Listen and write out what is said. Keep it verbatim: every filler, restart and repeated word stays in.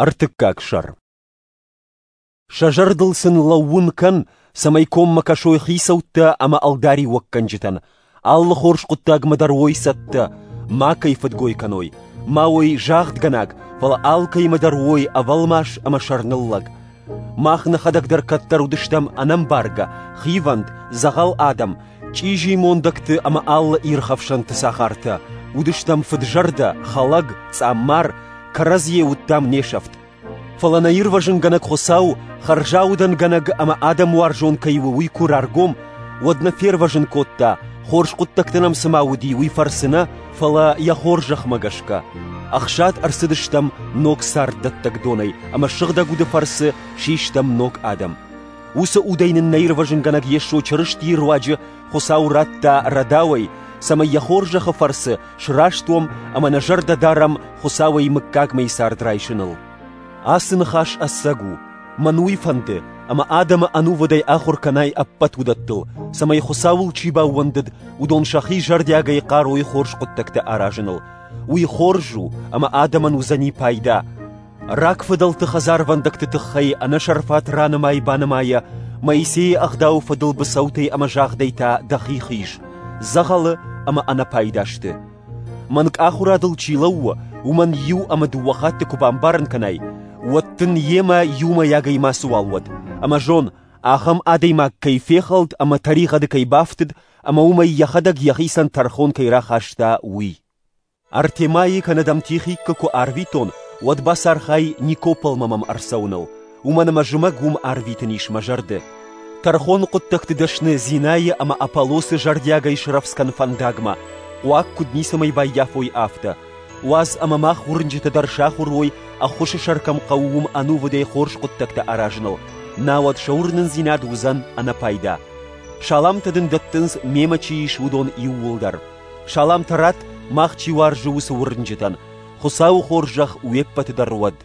Ӕртыккаг сӕр. Сӕ зӕрдыл сын лӕууын кӕн, цӕмӕй коммӕ кӕсой хицӕуттӕ ӕмӕ ӕлдариуӕггӕнджытӕн, алы хорз хъуыддагмӕ дӕр уой цӕттӕ, макӕй фыдгой кӕной, ма уой загъдгӕнаг, фӕлӕ алкӕимӕ дӕр уой ӕвӕлмас ӕмӕ сӕрныллӕг. Мах нӕхӕдӕг дӕр кӕддӕр уыдыстӕм ӕнӕмбаргӕ, хивӕнд, дзӕгъӕл адӕм, чъизи мондӕгты ӕмӕ алы ирхӕфсӕнты цагъартӕ, уыдыстӕм фыdzӕрдӕ, хӕлӕг, цъаммар, кӕрӕдзийӕ уыдтам не сӕфт. Фӕлӕ нӕ ирвӕзынгӕнӕг Хуыцау, хӕрзаудӕнгӕнӕг ӕмӕ адӕмуарзон кӕй у, уый куы раргом, уӕд нӕ фервӕзын кодта, хорз хъуыддӕгтӕ нӕм цыма уыди, уый фӕрцы нӕ, фӕлӕ йӕ хорзӕхмӕ гӕсгӕ. Ӕхсад ӕрцыдыстӕм ног царддӕттӕг донӕй ӕмӕ сыгъдӕг уды фӕрцы систӕм ног адӕм. Уыцы удӕй нын нӕ ирвӕзынгӕнӕг Йесо Чырыстийы руаджы Хуыцау радта рӕдауӕй, цӕмӕй йӕ хорзӕхы фӕрцы сраст уӕм ӕмӕ нӕ зӕрдӕ дарӕм Хуыцауӕй мыггагмӕйы цард райсыныл. Ацы ныхас ӕцӕг у, мӕн уый фӕнды, ӕмӕ адӕмы ӕнувыдӕй ахуыр кӕнай ӕппӕт уыдӕттыл, цӕмӕй Хуыцауыл чи баууӕндыд, уыдон сӕхи зӕрдиагӕй хъарой хорз хъуыддӕгтӕ аразыныл. Уый хорз у, ӕмӕ адӕмӕн уыдзӕни пайда. Рагфыдӕлты хӕдзарвӕндӕгты тыххӕй ӕнӕсӕрфат ранымай-банымайӕ Моисейы ӕгъдауы фӕдыл быцӕутӕй ӕмӕ загъдӕй та дӕхи хиз, дзӕгъӕлы ӕмӕ ӕнӕпайда сты. Мӕнг ахуырадыл чи лӕууы, уымӕн иу ӕмӕ дыууӕ хатты куы бамбарын кӕнай, уӕд дын йемӕ иумӕйагӕй мацыуал уӕд, ӕмӕ зон, ахӕм адӕймаг кӕй фехӕлд ӕмӕ тӕригъӕды кӕй бафтыд, ӕмӕ уымӕй йӕхӕдӕг йӕхицӕн тӕрхон кӕй рахаста, уый. Артемайы кӕнӕ дӕм Тихиккы куы арвитон, уӕд бацархай Никополмӕ мӕм ӕрцӕуыныл, уымӕн ӕмӕ зымӕг уым арвитын ис мӕ зӕрды. Тӕрхоны хъуыддӕгты дӕсны Зинӕйы ӕмӕ Аполлосы зӕрдиагӕй срӕвдз кӕн фӕндагмӕ, хъуаг куыд ницӕмӕй баййафой, афтӕ. Уадз ӕмӕ мах уырнджытӕ дӕр сахуыр уой, ӕххуысы сӕр кӕм хъӕуы, уым ӕнувыдӕй хорз хъуыддӕгтӕ аразыныл, науӕд сӕ уырнындзинад уыдзӕн ӕнӕпайда. Саламтӕ дын дӕттынц, мемӕ чи ис, уыдон иууылдӕр. Саламтӕ ратт, мах чи уарзы, уыцы уырнджытӕн. Хуыцауы хорзӕх уе ппӕты дӕр уӕд.